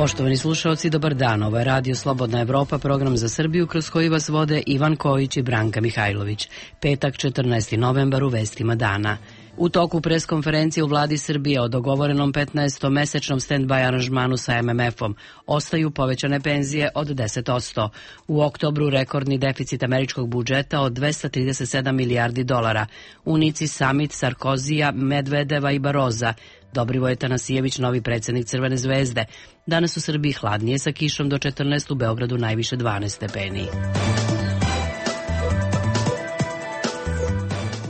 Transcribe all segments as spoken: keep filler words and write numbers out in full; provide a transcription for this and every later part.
Poštovani slušalci, dobar dan. Ovo je Radio Slobodna Evropa, program za Srbiju kroz koji vas vode Ivan Kojić i Branka Mihajlović. Petak, četrnaesti novembar, u vestima dana. U toku preskonferencije u vladi Srbije o dogovorenom petnaestomesečnom stand-by aranžmanu sa em em efom ostaju povećane penzije od deset posto. U oktobru rekordni deficit američkog budžeta od dvesta trideset sedam milijardi dolara. U Nici samit Sarkozija, Medvedeva i Baroza. Dobrivoje Tanasijević, novi predsjednik Crvene zvezde. Danas u Srbiji hladnije sa kišom do četrnaest, u Beogradu najviše dvanaest stepeni.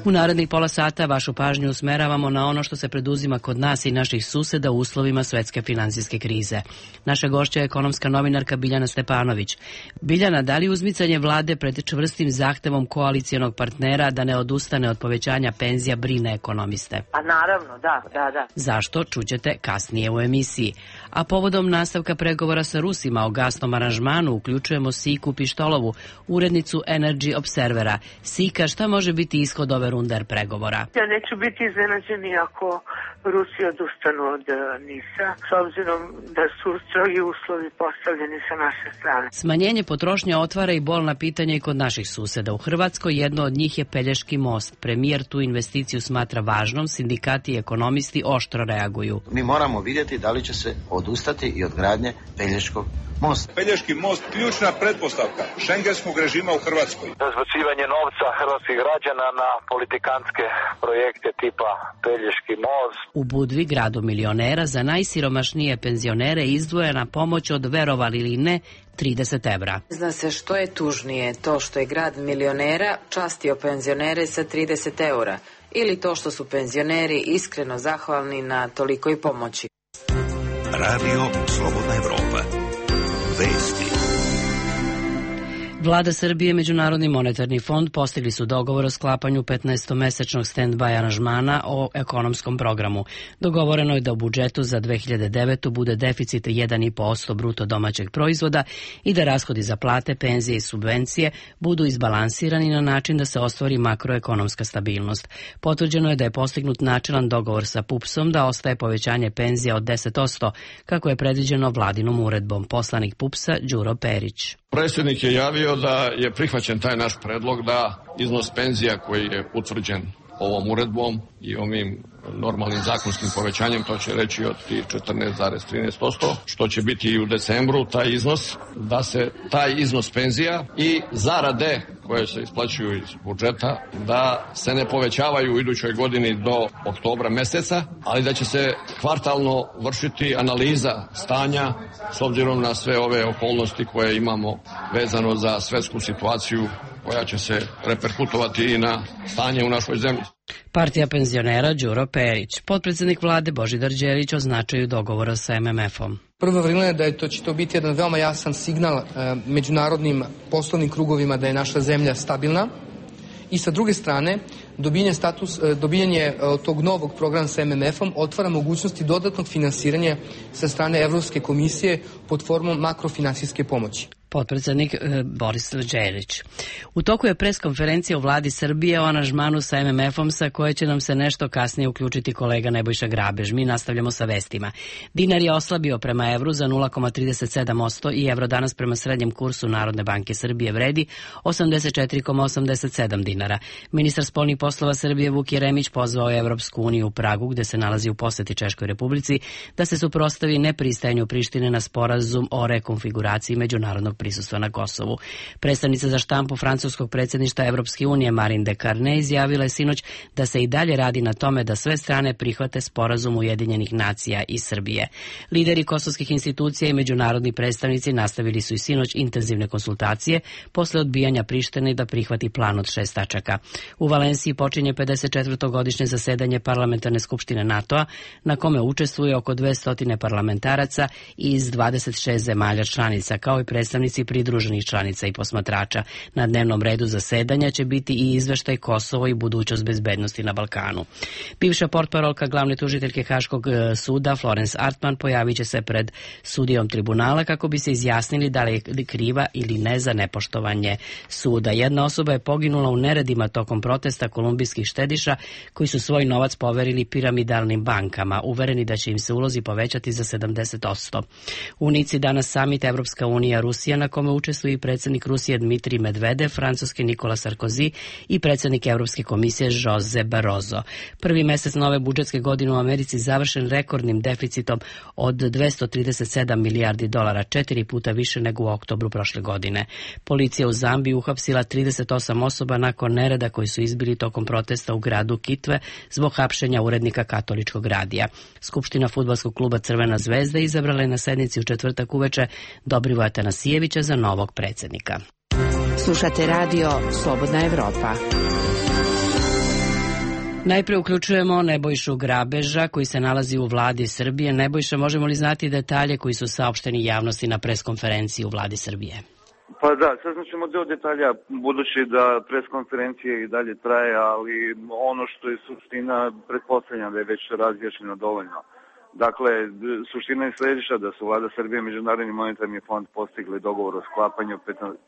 U narednih pola sata vašu pažnju usmeravamo na ono što se preduzima kod nas i naših suseda u uslovima svetske finansijske krize. Naša gošća je ekonomska novinarka Biljana Stepanović. Biljana, da li uzmicanje vlade pred čvrstim zahtevom koalicijonog partnera da ne odustane od povećanja penzija brine ekonomiste? A naravno, da, da, da. Zašto? Čućete kasnije u emisiji. A povodom nastavka pregovora sa Rusima o gasnom aranžmanu uključujemo Siku Pištolovu, urednicu Energy Observera. Sika, šta može biti ishod ove runder pregovora? Ja neću biti iznenađeni ako Rusi odustanu od NIS-a, s obzirom da su strogi uslovi postavljeni sa naše strane. Smanjenje potrošnje otvara i bolna pitanja i kod naših suseda. U Hrvatskoj jedno od njih je Pelješki most. Premijer tu investiciju smatra važnom, sindikati i ekonomisti oštro reaguju. Mi moramo vidjeti da li će se odustati i od gradnje Pelješkog mosta. Pelješki most ključna pretpostavka šengenskog režima u Hrvatskoj. Razbacivanje novca hrvatskih građana na politikantske projekte tipa Pelješki most. U Budvi, gradu milionera, za najsiromašnije penzionere izdvojena pomoć od, verovali ili ne, trideset evra. Zna se što je tužnije, to što je grad milionera častio penzionere sa trideset eura ili to što su penzioneri iskreno zahvalni na tolikoj pomoći. Radio Slobodna Evropa. Vesti. Vlada Srbije i Međunarodni monetarni fond postigli su dogovor o sklapanju petnaestomesečnog stand-by aranžmana o ekonomskom programu. Dogovoreno je da u budžetu za dve hiljade devetu. bude deficit jedan i po posto bruto domaćeg proizvoda i da rashodi za plate, penzije i subvencije budu izbalansirani na način da se ostvari makroekonomska stabilnost. Potvrđeno je da je postignut načelan dogovor sa pupsom da ostaje povećanje penzija od deset posto, kako je predviđeno vladinom uredbom. Poslanik pupsa Đuro Perić. Predsjednik je javio da je prihvaćen taj naš predlog da iznos penzija koji je utvrđen ovom uredbom i ovim normalnim zakonskim povećanjem, to će reći od četrnaest zarez trinaest posto, što će biti i u decembru taj iznos, da se taj iznos penzija i zarade koje se isplaćuju iz budžeta, da se ne povećavaju u idućoj godini do oktobra meseca, ali da će se kvartalno vršiti analiza stanja s obzirom na sve ove okolnosti koje imamo vezano za svetsku situaciju koja će se reperkutovati i na stanje u našoj zemlji. Partija penzionera Đuro Perić. Potpredsjednik vlade Božidar Đelić označuju dogovora sa em em efom. Prvo vrlina je da je to, će to biti jedan veoma jasan signal e, međunarodnim poslovnim krugovima da je naša zemlja stabilna. I sa druge strane, dobijanje, status, dobijanje tog novog programa sa em em efom otvara mogućnosti dodatnog finansiranja sa strane Evropske komisije pod formom makrofinansijske pomoći. Potpredsjednik Boris Đelić. U toku je preskonferencija u vladi Srbije o aranžmanu sa em em efom, sa koje će nam se nešto kasnije uključiti kolega Nebojša Grabež. Mi nastavljamo sa vestima. Dinar je oslabio prema evru za nula zarez trideset sedam posto i evro danas prema srednjem kursu Narodne banke Srbije vredi osamdeset četiri zarez osamdeset sedam dinara. Ministar spoljnih poslova Srbije Vuk Jeremić pozvao je Evropsku uniju u Pragu, gde se nalazi u poseti Češkoj Republici, da se suprotstavi nepristajanju Prištine na sporazum o rekonfiguraciji međunarodnog prisustva na Kosovu. Predstavnica za štampu francuskog predsjedništva Evropske unije Marine de Carne izjavila je sinoć da se i dalje radi na tome da sve strane prihvate sporazum Ujedinjenih nacija i Srbije. Lideri kosovskih institucija i međunarodni predstavnici nastavili su i sinoć intenzivne konsultacije posle odbijanja Prištine da prihvati plan od šest tačaka. U Valenciji počinje pedeset četvrto godišnje zasedanje Parlamentarne skupštine NATO-a, na kome učestvuje oko dvesta parlamentaraca iz dvadeset šest zemalja članica, kao i predstavnici predstavnici pridruženih članica i posmatrača. Na dnevnom redu zasedanja će biti i izveštaj Kosovo i budućnost bezbednosti na Balkanu. Bivša portparolka glavne tužiteljke Haškog suda Florence Artman pojavit će se pred sudijom tribunala kako bi se izjasnili da li je kriva ili ne za nepoštovanje suda. Jedna osoba je poginula u neredima tokom protesta kolumbijskih štediša koji su svoj novac poverili piramidalnim bankama, uvereni da će im se ulozi povećati za sedamdeset posto. U Nici danas samit Evropska unija Rusija na kome učestvuje i predsjednik Rusije Dmitrij Medvedev, francuski Nikola Sarkozy i predsjednik Evropske komisije Jose Barroso. Prvi mesec nove budžetske godine u Americi završen rekordnim deficitom od dvesta trideset sedam milijardi dolara, četiri puta više nego u oktobru prošle godine. Policija u Zambiji uhapsila trideset osam osoba nakon nereda koji su izbili tokom protesta u gradu Kitwe zbog hapšenja urednika katoličkog radija. Skupština fudbalskog kluba Crvena zvezda izabrala je na sednici u četvrtak uveče Dobrivoja Tanasijevića za novog predsjednika. Slušate radio Slobodna Evropa. Najprije uključujemo Nebojšu Grabeža koji se nalazi u vladi Srbije. Nebojša, možemo li znati detalje koji su saopšteni javnosti na preskonferenciji u vladi Srbije? Pa da, saznat ćemo deo detalja, budući da preskonferencija i dalje traje, ali ono što je suština, pretpostavljam da je već razjašnjeno dovoljno. Dakle, suština je sljedeća, da su vlada Srbije i Međunarodni monetarni fond postigli dogovor o sklapanju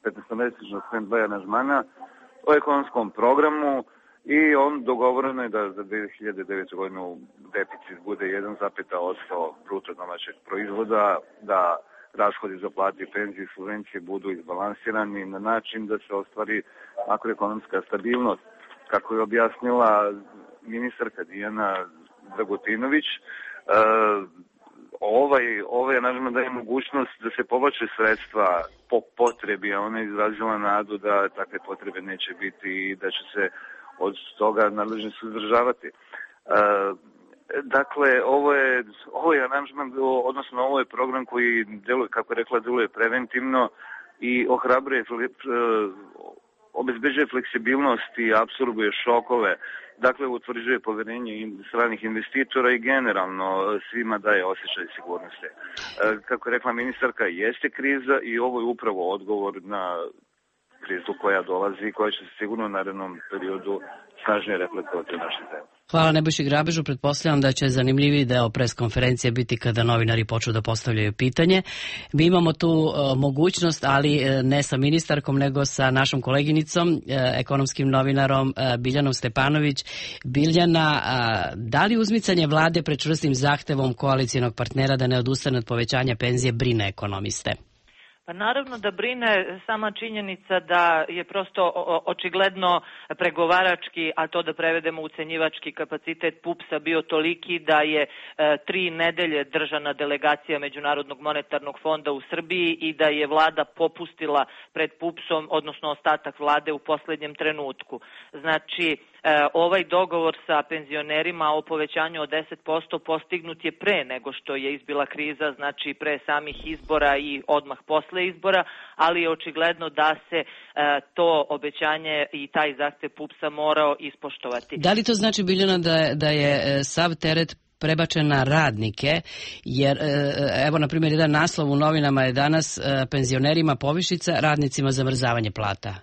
petnaestomesečnog stand-by aranžmana o ekonomskom programu i on dogovoreno je da za dve hiljade devete. godinu deficit bude jedan zarez osam posto bruto domaćeg proizvoda, da rashodi za plate i penzije i subvencije budu izbalansirani na način da se ostvari makroekonomska stabilnost. Kako je objasnila ministarka Dijana Dragutinović, e, ovaj, ovaj aranžman daje mogućnost da se povlače sredstva po potrebi, a ona je izrazila nadu da takve potrebe neće biti i da će se od toga nadležni suzdržavati. E, Dakle, ovo je, ovo je aranžman, odnosno ovo je program koji, deluje, kako je rekla, deluje preventivno i ohrabruje, obezbeđuje fleksibilnost i apsorbuje šokove. Dakle, utvrđuje poverenje stranih investitora i generalno svima daje osjećaj sigurnosti. Kako je rekla ministarka, jeste kriza i ovo je upravo odgovor na krizu koja dolazi i koja će se sigurno u narednom periodu snažnije reflektovati u našoj zemlji. Hvala Nebojši Grabežu. Pretpostavljam da će zanimljiviji deo preskonferencije biti kada novinari počnu da postavljaju pitanje. Mi imamo tu uh, mogućnost, ali uh, ne sa ministarkom, nego sa našom koleginicom, uh, ekonomskim novinarom uh, Biljanom Stepanović. Biljana, uh, da li uzmicanje vlade pred čvrstim zahtevom koalicijonog partnera da ne odustane od povećanja penzije brine ekonomiste? Pa naravno da brine sama činjenica da je prosto očigledno pregovarački, a to da prevedemo ucenjivački kapacitet pupsa bio toliki da je e, tri nedelje držana delegacija Međunarodnog monetarnog fonda u Srbiji i da je vlada popustila pred pupsom, odnosno ostatak vlade u posljednjem trenutku. Znači, e, ovaj dogovor sa penzionerima o povećanju od deset posto postignut je pre nego što je izbila kriza, znači pre samih izbora i odmah posle izbora, ali je očigledno da se e, to obećanje i taj zahtev pupsa morao ispoštovati. Da li to znači, Biljana, da, da je sav teret prebačen na radnike, jer evo na primjer jedan naslov u novinama je danas penzionerima povišica, radnicima zamrzavanje plata?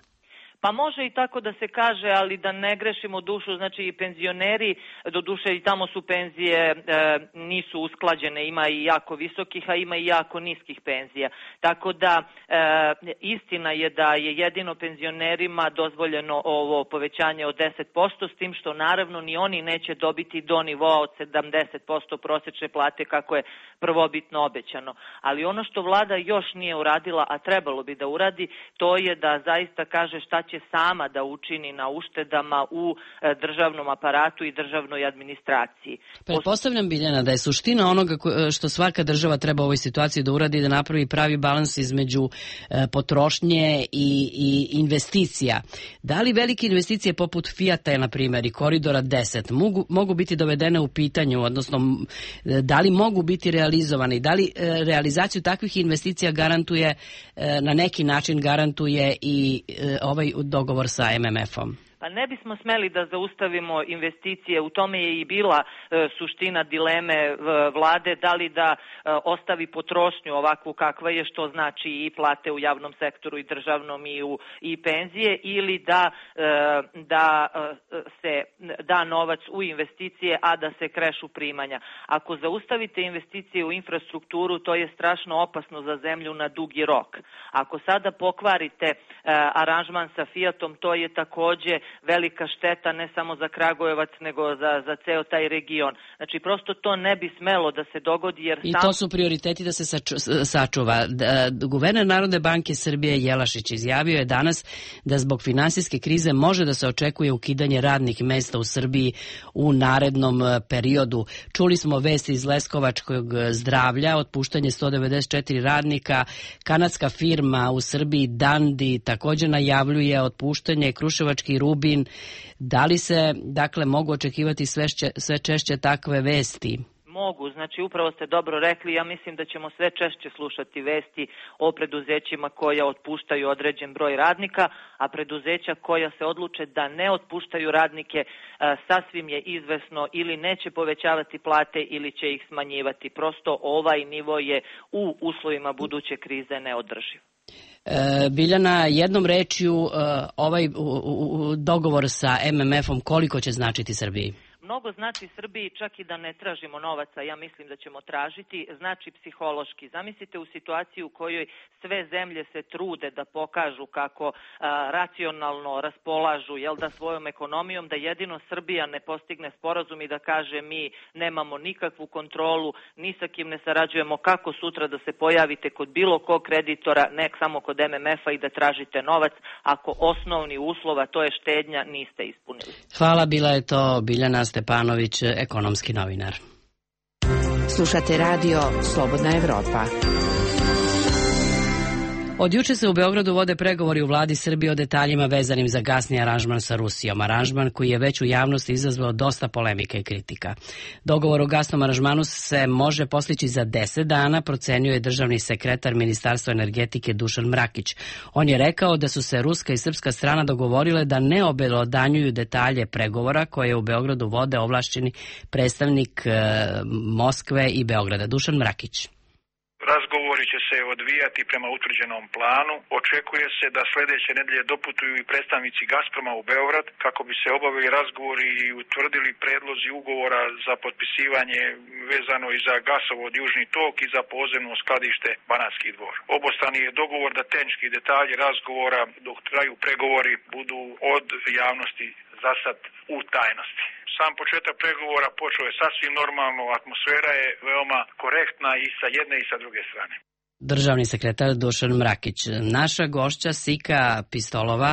Pa može i tako da se kaže, ali da ne grešimo dušu, znači i penzioneri, do duše i tamo su penzije e, nisu usklađene, ima i jako visokih, a ima i jako niskih penzija. Tako da e, istina je da je jedino penzionerima dozvoljeno ovo povećanje od deset posto, s tim što naravno ni oni neće dobiti do nivoa od sedamdeset posto prosječne plate kako je prvobitno obećano. Ali ono što vlada još nije uradila, a trebalo bi da uradi, to je da zaista kaže šta će sama da učini na uštedama u državnom aparatu i državnoj administraciji. Pretpostavljam, Biljana, da je suština onoga što svaka država treba u ovoj situaciji da uradi, da napravi pravi balans između potrošnje i, i investicija. Da li velike investicije poput Fijata, na primjer, i Koridora deset mogu, mogu biti dovedene u pitanju, odnosno da li mogu biti realizovane i da li realizaciju takvih investicija garantuje, na neki način garantuje i ovaj dogovor sa M M F-om? Pa ne bismo smeli da zaustavimo investicije, u tome je i bila e, suština dileme e, vlade, da li da e, ostavi potrošnju ovakvu kakva je, što znači i plate u javnom sektoru i državnom i, u, i penzije, ili da, e, da e, se da novac u investicije, a da se krešu primanja. Ako zaustavite investicije u infrastrukturu, to je strašno opasno za zemlju na dugi rok. Ako sada pokvarite e, aranžman sa Fiatom, to je takođe velika šteta ne samo za Kragujevac, nego za, za ceo taj region. Znači, prosto to ne bi smelo da se dogodi, jer I sam... to su prioriteti da se saču, sačuva. Guverner Narodne banke Srbije Jelašić izjavio je danas da zbog finansijske krize može da se očekuje ukidanje radnih mesta u Srbiji u narednom periodu. Čuli smo vesti iz Leskovačkog zdravlja, otpuštanje sto devedeset četiri radnika, kanadska firma u Srbiji Dandi također najavljuje otpuštanje, Kruševački Rubin. Da li se, dakle, mogu očekivati sve, šće, sve češće takve vesti? Mogu, znači upravo ste dobro rekli, ja mislim da ćemo sve češće slušati vesti o preduzećima koja otpuštaju određen broj radnika, a preduzeća koja se odluče da ne otpuštaju radnike sasvim je izvesno ili neće povećavati plate ili će ih smanjivati. Prosto ovaj nivo je u uslovima buduće krize neodrživ. E, Biljana, jednom rečju ovaj dogovor sa M M F-om koliko će značiti Srbiji? Mnogo znači Srbiji, čak i da ne tražimo novaca, ja mislim da ćemo tražiti, znači psihološki. Zamislite u situaciji u kojoj sve zemlje se trude da pokažu kako a, racionalno raspolažu, jel da, svojom ekonomijom, da jedino Srbija ne postigne sporazum i da kaže mi nemamo nikakvu kontrolu, ni sa kim ne sarađujemo, kako sutra da se pojavite kod bilo kog kreditora, ne samo kod M M F-a i da tražite novac, ako osnovni uslova, to je štednja, niste ispunili. Hvala, bila je to Biljana Stepanović, ekonomski novinar. Slušate radio Slobodna Evropa. Od juče se u Beogradu vode pregovori u vladi Srbije o detaljima vezanim za gasni aranžman sa Rusijom. Aranžman koji je već u javnosti izazvao dosta polemike i kritika. Dogovor o gasnom aranžmanu se može postići za deset dana, procenio je državni sekretar Ministarstva energetike Dušan Mrakić. On je rekao da su se ruska i srpska strana dogovorile da ne obelodanjuju detalje pregovora koje u Beogradu vode ovlašćeni predstavnik e, Moskve i Beograda. Dušan Mrakić. Razgovori će se odvijati prema utvrđenom planu. Očekuje se da sljedeće nedelje doputuju i predstavnici Gazproma u Beograd kako bi se obavili razgovori i utvrdili predlozi ugovora za potpisivanje vezano i za gasovod Južni tok i za podzemno skladište Banatski dvor. Obostrani je dogovor da tehnički detalji razgovora dok traju pregovori budu od javnosti za sad u tajnosti. Sam početak pregovora počeo je sasvim normalno, atmosfera je veoma korektna i sa jedne i sa druge strane. Državni sekretar Dušan Mrakić. Naša gošća Sika Pistolova,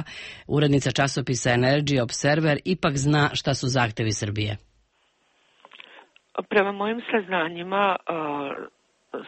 urednica časopisa Energy Observer, ipak zna šta su zahtevi Srbije. Prema mojim saznanjima,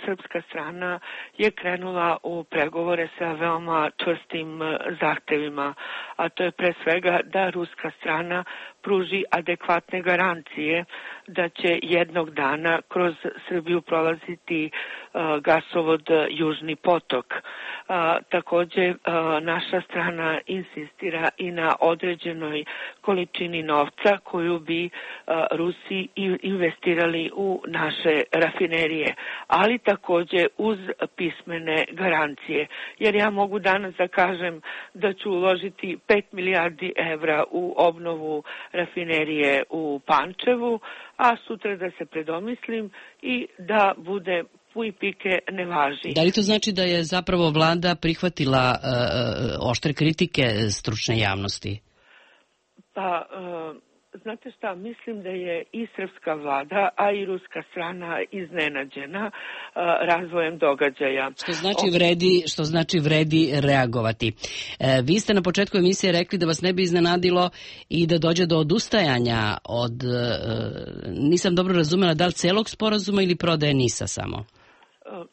srpska strana je krenula u pregovore sa veoma čvrstim zahtevima, a to je pre svega da ruska strana pruži adekvatne garancije da će jednog dana kroz Srbiju prolaziti uh, gasovod Južni potok. Uh, takođe, uh, naša strana insistira i na određenoj količini novca koju bi uh, Rusi investirali u naše rafinerije, ali takođe uz pismene garancije. Jer ja mogu danas da kažem da ću uložiti pet milijardi evra u obnovu rafinerije u Pančevu, a sutra da se predomislim i da bude puj pike ne važi. Da li to znači da je zapravo vlada prihvatila uh, oštre kritike stručne javnosti? Pa, uh, znate šta, mislim da je i srpska vlada, a i ruska strana iznenađena uh, razvojem događaja. Što znači vredi, što znači vredi reagovati. E, vi ste na početku emisije rekli da vas ne bi iznenadilo i da dođe do odustajanja od, e, nisam dobro razumela, da li celog sporazuma ili prodaje NIS-a samo?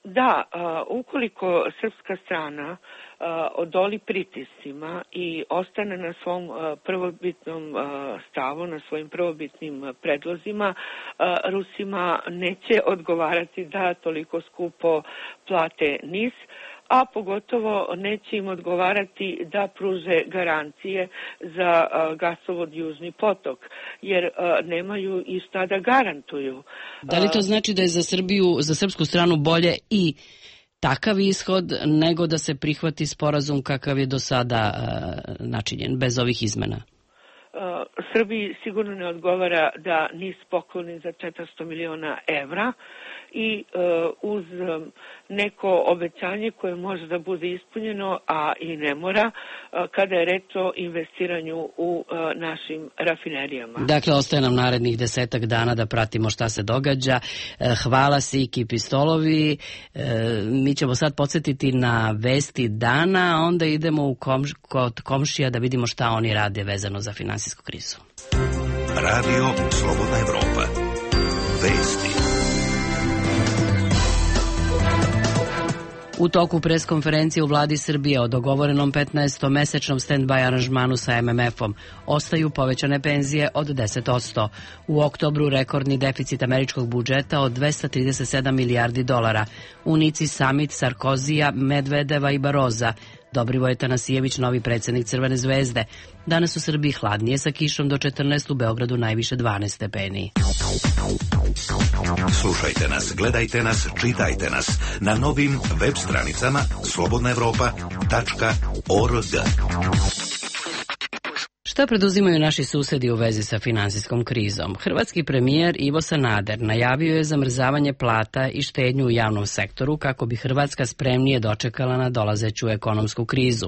Da, ukoliko srpska strana odoli pritiscima i ostane na svom prvobitnom stavu, na svojim prvobitnim predlozima, Rusima neće odgovarati da toliko skupo plate NIS, a pogotovo neće im odgovarati da pruže garancije za gasovod Južni potok, jer nemaju i šta da garantuju. Da li to znači da je za Srbiju, za srpsku stranu bolje i takav ishod nego da se prihvati sporazum kakav je do sada načinjen, bez ovih izmena? Srbiji sigurno ne odgovara da NIS pokloni za četiristo miliona evra i uz neko obećanje koje može da bude ispunjeno, a i ne mora, kada je reč o investiranju u našim rafinerijama. Dakle, ostaje nam narednih desetak dana da pratimo šta se događa. Hvala Siki Pistolovi. Mi ćemo sad podsjetiti na vesti dana, a onda idemo u komš, kod komšija da vidimo šta oni rade vezano za finansijsku krizu. Radio Slobodna Evropa. Vesti. U toku preskonferencije u vladi Srbije o dogovorenom petnaestomesečnom stand-by aranžmanu sa em em efom ostaju povećane penzije od deset posto. U oktobru rekordni deficit američkog budžeta od dvesta trideset sedam milijardi dolara. U Nici samit Sarkozija, Medvedeva i Baroza. Dobrivoje Tanasijević, novi predsjednik Crvene zvezde. Danas u Srbiji hladnije sa kišom do četrnaest, u Beogradu najviše dvanaest stepeni. Slušajte nas, gledajte nas, čitajte nas na novim web stranicama slobodna evropa tačka org. Šta preduzimaju naši susedi u vezi sa finansijskom krizom? Hrvatski premijer Ivo Sanader najavio je zamrzavanje plata i štednju u javnom sektoru kako bi Hrvatska spremnije dočekala na dolazeću ekonomsku krizu.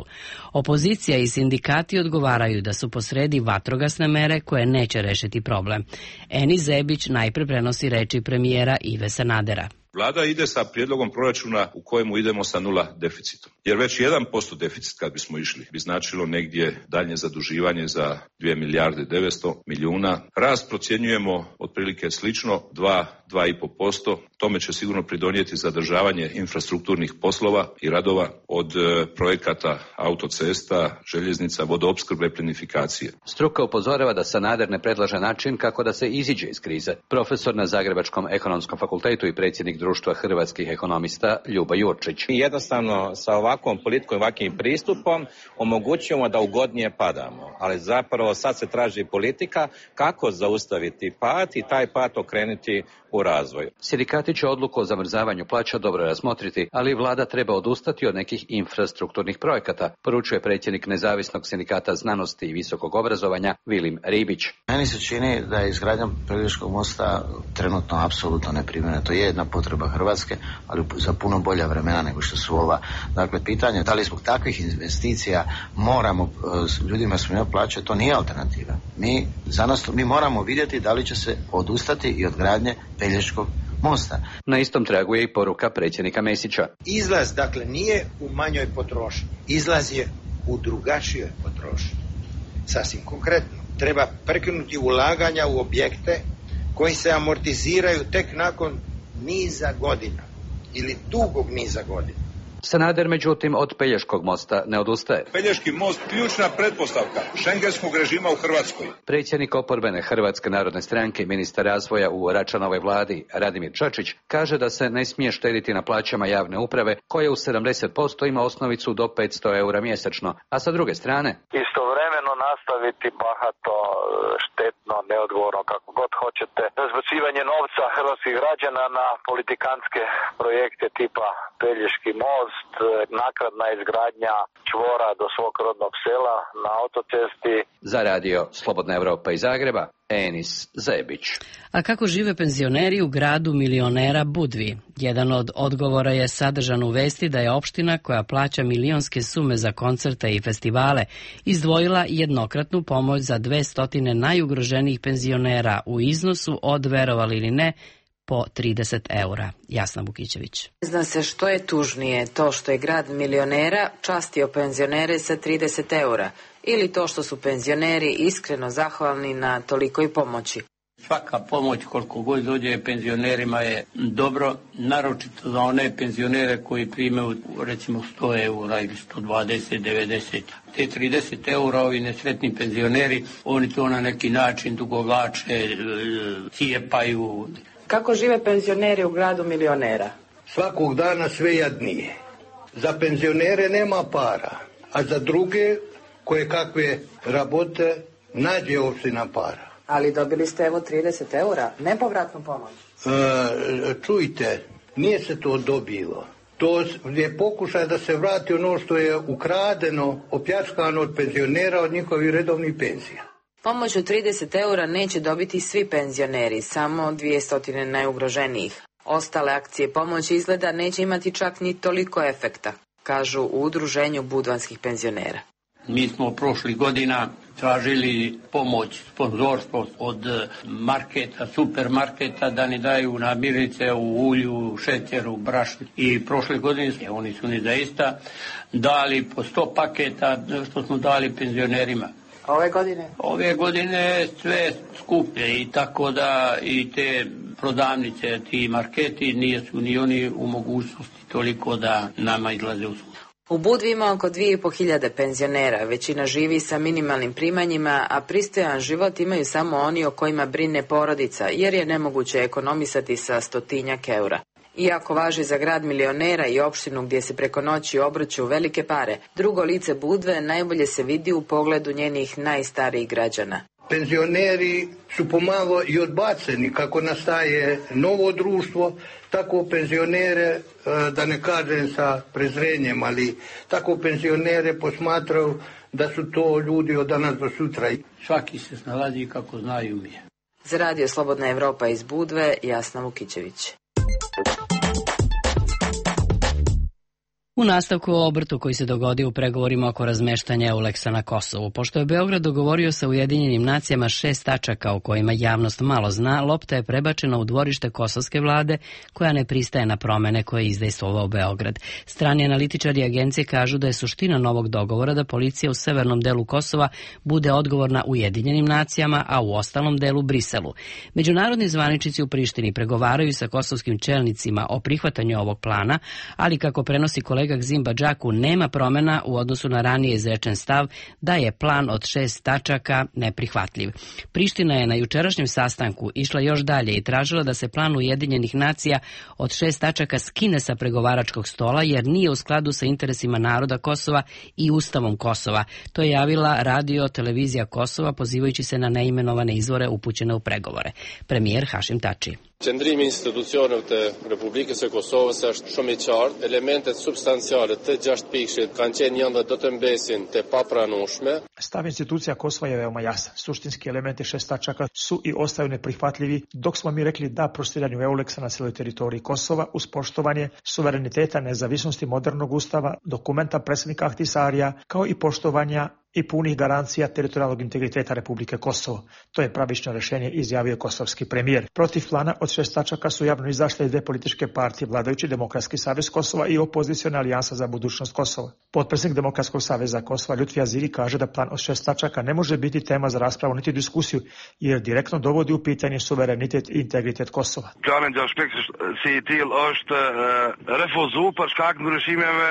Opozicija i sindikati odgovaraju da su posredi vatrogasne mere koje neće rešiti problem. Eni Zebić najpre prenosi reči premijera Ive Sanadera. Vlada ide sa prijedlogom proračuna u kojemu idemo sa nula deficitom. Jer već jedan posto deficit kad bismo išli bi značilo negdje daljnje zaduživanje za dvije milijarde devetsto milijuna. Rast procjenjujemo otprilike slično dva, dva i pol posto. Tome će sigurno pridonijeti zadržavanje infrastrukturnih poslova i radova od projekata autocesta, željeznica, vodoopskrbe, plinifikacije. Struka upozorava da Sanader ne predlaže način kako da se iziđe iz krize. Profesor na Zagrebačkom ekonomskom fakultetu i predsjednik Društva hrvatskih ekonomista Ljuba Jurčić. Jednostavno sa ovakvom politikom i ovakvim pristupom omogućujemo da ugodnije padamo, ali zapravo sad se traži politika kako zaustaviti pad i taj pad okrenuti u razvoj. Sindikati će odluku o zamrzavanju plaća dobro razmotriti, ali vlada treba odustati od nekih infrastrukturnih projekata, poručuje predsjednik Nezavisnog sindikata znanosti i visokog obrazovanja Vilim Ribić. Meni se čini da je izgradnja Pelješkog mosta trenutno apsolutno neprimjerena. To je jedna potreba Hrvatske, ali za puno bolja vremena nego što su ova. Dakle, pitanje da li zbog takvih investicija moramo ljudima smanjivati plaće, to nije alternativa. Mi, za nas, mi moramo vidjeti da li će se odustati i od gradnje Pelješkog mosta. Na istom tragu je i poruka predsjednika Mesića. Izlaz, dakle, nije u manjoj potrošnji. Izlaz je u drugačijoj potrošnji. Sasvim konkretno. Treba prekinuti ulaganja u objekte koji se amortiziraju tek nakon niza godina ili dugog niza godina. Sanader, međutim, od Pelješkog mosta ne odustaje. Pelješki most ključna pretpostavka šengenskog režima u Hrvatskoj. Predsjednik oporbene Hrvatske narodne stranke i ministar razvoja u Račanovoj vladi Radimir Čačić kaže da se ne smije štediti na plaćama javne uprave koje u sedamdeset posto ima osnovicu do petsto eura mjesečno, a sa druge strane istovremeno nastaviti bahato, štetno, neodgovorno, kako god hoćete, razbacivanje novca hrvatskih građana na politikantske projekte tipa Pelješki most, naknadna izgradnja čvora do svog rodnog sela na autocesti. Za radio Slobodna Evropa iz Zagreba, Enis Zebić. A kako žive penzioneri u gradu milionera Budvi? Jedan od odgovora je sadržan u vesti da je opština koja plaća milionske sume za koncerte i festivale izdvojila jednokratnu pomoć za dve stotine najugroženijih penzionera u iznosu od, verovali ili ne, po trideset eura. Jasna Bukićević. Zna se što je tužnije, to što je grad milionera častio penzionere sa trideset eura ili to što su penzioneri iskreno zahvalni na tolikoj pomoći. Svaka pomoć koliko god dođe penzionerima je dobro, naročito za one penzionere koji primaju recimo sto eura ili sto dvadeset, devedeset. Te trideset eura ovi nesretni penzioneri, oni to na neki način dugovlače, cijepaju. Kako žive penzioneri u gradu milionera? Svakog dana sve jadnije. Za penzionere nema para, a za druge koje kakve rabote nađe opština para. Ali dobili ste evo trideset eura, nepovratnu pomoć. E, čujte, nije se to dobilo. To je pokušaj da se vrati ono što je ukradeno, opljačkano od penzionera, od njihovih redovnih penzija. Pomoć od trideset eura neće dobiti svi penzioneri, samo dvjesto najugroženijih. Ostale akcije pomoći izgleda neće imati čak ni toliko efekta, kažu u udruženju budvanskih penzionera. Mi smo prošlih godina tražili pomoć, sponzorstvo od marketa, supermarketa da ne daju namirnice u ulju, šećeru, brašnu. I prošle godine oni su ni zaista dali po sto paketa što smo dali penzionerima. Ove godine? Ove godine sve skuplje i tako da i te prodavnice, ti marketi nisu ni oni u mogućnosti toliko da nama izlaze u susret. U Budvi ima oko dvije i po hiljade penzionera, većina živi sa minimalnim primanjima, a pristojan život imaju samo oni o kojima brine porodica, jer je nemoguće ekonomisati sa stotinjak eura. Iako važi za grad milionera i opštinu gdje se preko noći obrću velike pare, drugo lice Budve najbolje se vidi u pogledu njenih najstarijih građana. Penzioneri su pomalo i odbaceni kako nastaje novo društvo, tako penzionere, da ne kažem sa prezrenjem, ali tako penzionere posmatraju da su to ljudi od danas do sutra. Svaki se snalazi kako znaju mi. Za Radio Slobodna Evropa iz Budve, Jasna Vukićević. U nastavku o obrtu koji se dogodio u pregovorima oko razmeštanja Euleksa na Kosovu. Pošto je Beograd dogovorio sa Ujedinjenim nacijama šest tačaka o kojima javnost malo zna, lopta je prebačena u dvorište kosovske vlade koja ne pristaje na promene koje je izdejstvovao Beograd. Strani analitičari agencije kažu da je suština novog dogovora da policija u severnom delu Kosova bude odgovorna Ujedinjenim nacijama, a u ostalom delu Briselu. Međunarodni zvaničnici u Prištini pregovaraju sa kosovskim čelnicima o prihvatanju ovog plana, ali kako prenosi kolega Gzim Badžaku, nema promena u odnosu na ranije izrečen stav da je plan od šest tačaka neprihvatljiv. Priština je na jučerašnjem sastanku išla još dalje i tražila da se plan Ujedinjenih nacija od šest tačaka skine sa pregovaračkog stola jer nije u skladu sa interesima naroda Kosova i Ustavom Kosova. To je javila radio televizija Kosova pozivajući se na neimenovane izvore upućene u pregovore. Premijer Hashim Tači. Qëndrimi i institucioneve të Republikës së Kosovës është shumë i qartë. Elementet substanciale të gjashtë pikëshit kanë qenë janë dhe do të mbesin të papranueshme. Stav institucija Kosova je veoma jasan. Suštinski elementi šest tačaka su i ostaju neprihvatljivi, dok smo mi rekli da prostiranju Euleksa na cijeloj teritoriji Kosova uz poštovanje suvereniteta, nezavisnosti modernog ustava, dokumenta predsjednika Ahtisarija, kao i poštovanja i punih garancija teritorijalnog integriteta Republike Kosovo. To je pravično rješenje, izjavio kosovski premijer. Protiv plana od šest tačaka su javno izašle dve političke partije, vladajući Demokratski savez Kosova i opoziciona alijansa za budućnost Kosova. Potpredsjednik Demokratskog saveza Kosova Lutfi Aziri kaže da plan od šest tačaka ne može biti tema za raspravu niti diskusiju, jer direktno dovodi u pitanje suverenitet i integritet Kosova. Plani aspekt si i tillë është refuzu për shkak ndryshimeve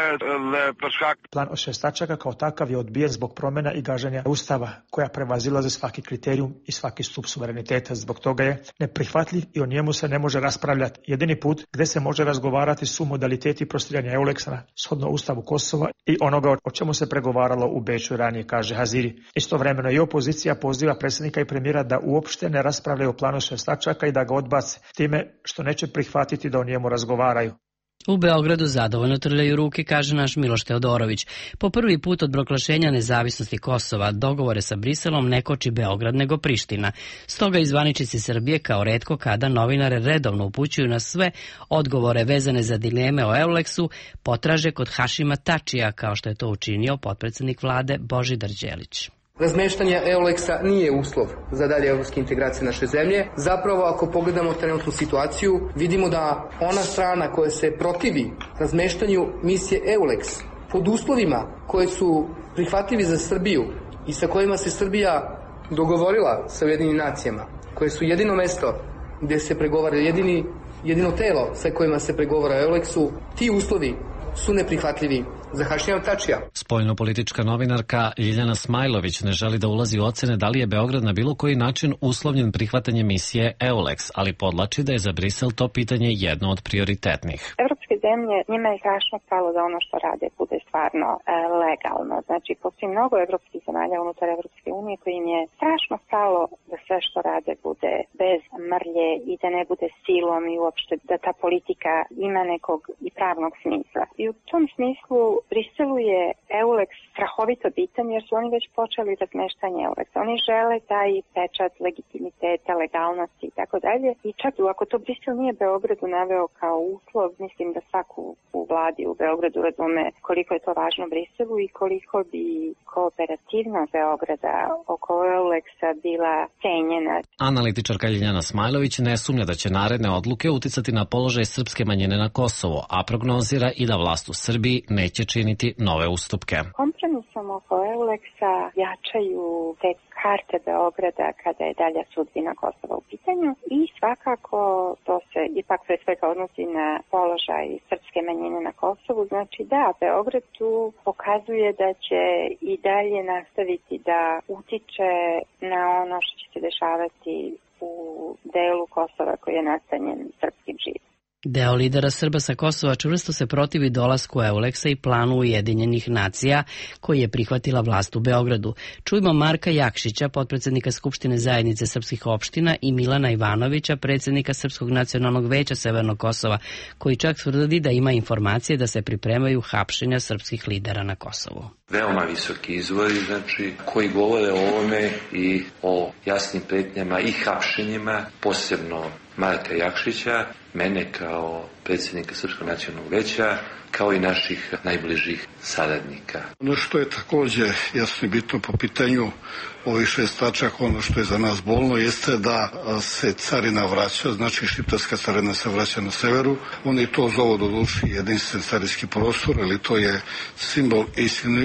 dhe për shkak. Plan od šest tačaka kao takav je odbijen zbog promjena i gaženja Ustava, koja prevazilaze svaki kriterijum i svaki stup suvereniteta. Zbog toga je neprihvatljiv i o njemu se ne može raspravljati. Jedini put gdje se može razgovarati su modaliteti prostiranja Euleksa shodno Ustavu Kosova i onoga o čemu se pregovaralo u Beču ranije, kaže Haziri. Istovremeno i opozicija poziva predsjednika i premijera da uopšte ne raspravljaju o planu šest tačaka i da ga odbace, time što neće prihvatiti da o njemu razgovaraju. U Beogradu zadovoljno trljaju ruke, kaže naš Miloš Teodorović. Po prvi put od proglašenja nezavisnosti Kosova dogovore sa Briselom ne koči Beograd nego Priština. Stoga i zvaničnici Srbije kao retko kada novinare redovno upućuju na sve odgovore vezane za dileme o Euleksu, potraže kod Hašima Tačija, kao što je to učinio potpredsjednik vlade Božidar Đelić. Razmeštanje Euleksa nije uslov za dalje evropske integracije naše zemlje. Zapravo, ako pogledamo trenutnu situaciju, vidimo da ona strana koja se protivi razmeštanju misije Euleks pod uslovima koje su prihvatljivi za Srbiju i sa kojima se Srbija dogovorila sa Ujedinjenim nacijama, koje su jedino mesto gdje se pregovara, jedini, jedino telo sa kojima se pregovara o Euleksu, ti uslovi su neprihvatljivi za Hašima Tačija. Spoljnopolitička novinarka Ljiljana Smajlović ne želi da ulazi u ocene da li je Beograd na bilo koji način uslovljen prihvatanjem misije Euleks, ali podlači da je za Brisel to pitanje jedno od prioritetnih. Evropska evropske zemlje, njima je strašno stalo da ono što rade bude stvarno e, legalno. Znači, postoji mnogo evropskih zemalja unutar Evropske unije koji im je strašno stalo da sve što rade bude bez mrlje i da ne bude silom i uopšte da ta politika ima nekog i pravnog smisla. I u tom smislu Briselu je Euleks strahovito bitan jer su oni već počeli razmeštanje Euleksa. Oni žele taj pečat legitimiteta, legalnosti i tako dalje. I čak ako to Brisel nije Beogradu naveo kao uslov, mislim da svaku u vladi u Beogradu razume koliko je to važno Briselu i koliko bi kooperativnost Beograda oko Euleksa bila cenjena. Analitičarka Ljiljana Smajlović ne sumnja da će naredne odluke uticati na položaj srpske manjine na Kosovo, a prognozira i da vlast u Srbiji neće činiti nove ustupke. Kompromisom oko Euleksa jačaju te karte Beograda kada je dalja sudbina Kosova u pitanju i svakako to se ipak pre svega odnosi na položaj srpske manjine na Kosovu. Znači da, Beograd tu pokazuje da će i dalje nastaviti da utiče na ono što će se dešavati u delu Kosova koji je nastanjen srpskim živom. Deo lidera Srba sa Kosova čvrsto se protivi dolasku Euleksa i planu Ujedinjenih nacija koji je prihvatila vlast u Beogradu. Čujmo Marka Jakšića, potpredsednika Skupštine zajednice srpskih opština i Milana Ivanovića, predsjednika Srpskog nacionalnog veća Severnog Kosova, koji čak tvrdi da ima informacije da se pripremaju hapšenja srpskih lidera na Kosovu. Veoma visoki izvori, znači, koji govore o ovome i o jasnim pretnjama i hapšenjima, posebno Marka Jakšića, mene kao predsjednika Srpskog nacionalnog veća, kao i naših najbližih saradnika. Ono što je također jasno i bitno po pitanju ovih šest tačaka, ono što je za nas bolno, jeste da se carina vraća, znači šiptarska carina se vraća na severu. Oni to zovu do duši jedinstven carinski prostor, ali to je simbol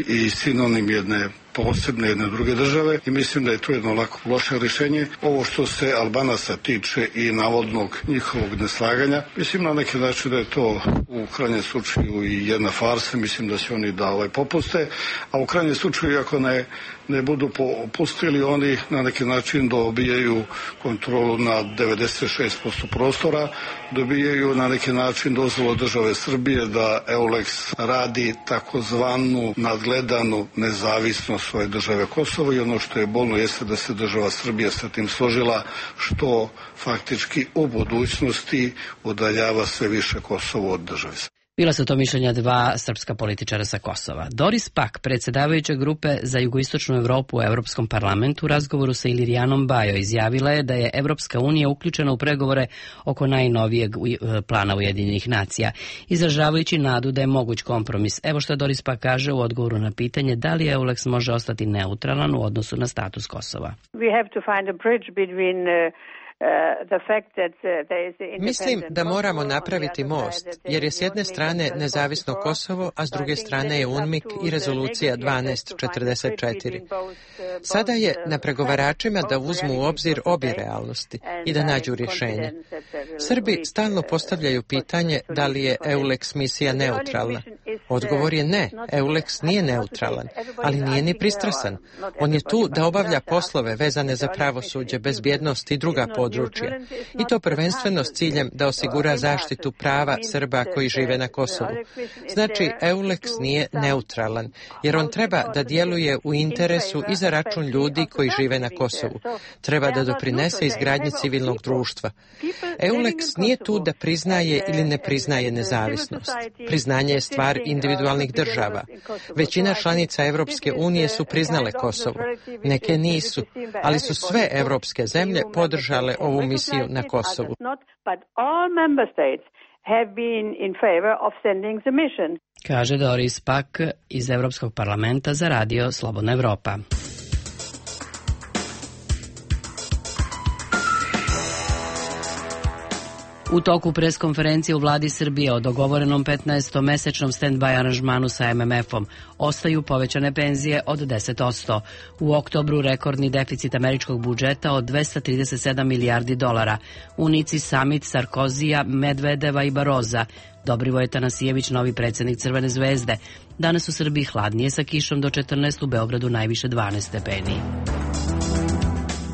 i sinonim jedne posebne jedne druge države i mislim da je to jedno lako loše rješenje. Ovo što se Albanaca tiče i navodnog njihovog neslaganja, mislim na neki način da je to u krajnjem slučaju i jedna farsa, mislim da će oni da ovaj popuste, a u krajnjem slučaju ako ne, ne budu popustili, oni na neki način dobijaju kontrolu na devedeset šest posto prostora, dobijaju na neki način dozvolu države Srbije da Euleks radi takozvanu nadgledanu nezavisnost svoje države Kosovo i ono što je bolno jeste da se država Srbija sa tim složila, što faktički u budućnosti udaljava sve više Kosovo od države. Bila su to mišljenja dva srpska političara sa Kosova. Doris Pak, predsjedavajuća grupe za jugoistočnu Evropu u Evropskom parlamentu, u razgovoru sa Ilirijanom Bajo izjavila je da je Evropska unija uključena u pregovore oko najnovijeg plana Ujedinjenih nacija, izražavajući nadu da je moguć kompromis. Evo što Doris Pak kaže u odgovoru na pitanje da li Euleks može ostati neutralan u odnosu na status Kosova. We have to find a bridge between uh... Mislim da moramo napraviti most, jer je s jedne strane nezavisno Kosovo, a s druge strane je UNMIK i rezolucija dvanaest četrdeset četiri. Sada je na pregovaračima da uzmu u obzir obje realnosti i da nađu rješenje. Srbi stalno postavljaju pitanje da li je Euleks misija neutralna. Odgovor je ne, Euleks nije neutralan, ali nije ni pristrasan. On je tu da obavlja poslove vezane za pravosuđe, bezbjednost i druga područja. I to prvenstveno s ciljem da osigura zaštitu prava Srba koji žive na Kosovu. Znači, Euleks nije neutralan, jer on treba da djeluje u interesu i za račun ljudi koji žive na Kosovu. Treba da doprinese izgradnji civilnog društva. Euleks nije tu da priznaje ili ne priznaje nezavisnost. Priznanje je stvar individualnih država. Većina članica Evropske unije su priznale Kosovo. Neke nisu, ali su sve evropske zemlje podržale ovu misiju na Kosovu. Kaže Doris Pak iz Evropskog parlamenta za radio Slobodna Evropa. U toku preskonferencije u vladi Srbije o dogovorenom petnaestomesečnom stand-by aranžmanu sa em em efom ostaju povećane penzije od deset posto. U oktobru rekordni deficit američkog budžeta od dvesta trideset sedam milijardi dolara. U Nici samit Sarkozija, Medvedeva i Baroza. Dobrivoje Tanasijević, novi predsjednik Crvene zvezde. Danas u Srbiji hladnije sa kišom do četrnaest, u Beogradu najviše dvanaest stepeni.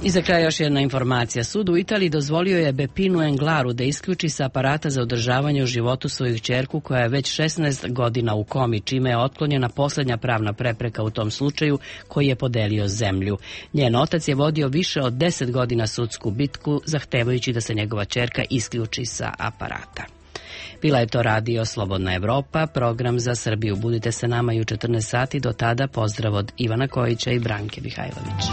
I za kraj još jedna informacija. Sud u Italiji dozvolio je Beppinu Englaru da isključi sa aparata za održavanje u životu svoju ćerku koja je već šesnaest godina u komi, čime je otklonjena poslednja pravna prepreka u tom slučaju koji je podelio zemlju. Njen otac je vodio više od deset godina sudsku bitku zahtevajući da se njegova ćerka isključi sa aparata. Bila je to radio Slobodna Evropa, program za Srbiju. Budite sa nama i u četrnaest sati. Do tada pozdrav od Ivana Kojića i Branke Mihajlović.